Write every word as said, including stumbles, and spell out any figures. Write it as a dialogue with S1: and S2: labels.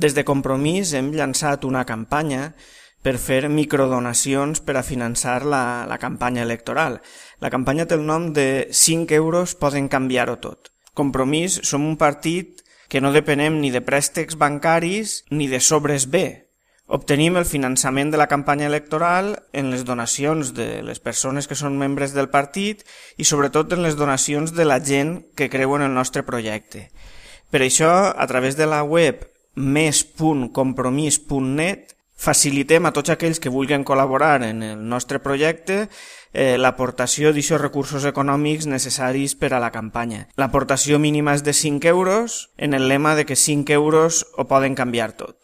S1: Des de Compromís hem llançat una campanya per fer microdonacions per a finançar la, la campanya electoral. La campanya té el nom de cinc euros poden canviar-ho tot. Compromís som un partit que no depenem ni de préstecs bancaris ni de sobres B. Obtenim el finançament de la campanya electoral en les donacions de les persones que són membres del partit i sobretot en les donacions de la gent que creu en el nostre projecte. Per això, a través de la web més punt compromís punt net facilitem a tots aquells que vulguin col·laborar en el nostre projecte eh, l'aportació d'aquests recursos econòmics necessaris per a la campanya. L'aportació mínima és de cinc euros en el lema de que cinc euros ho poden canviar tot.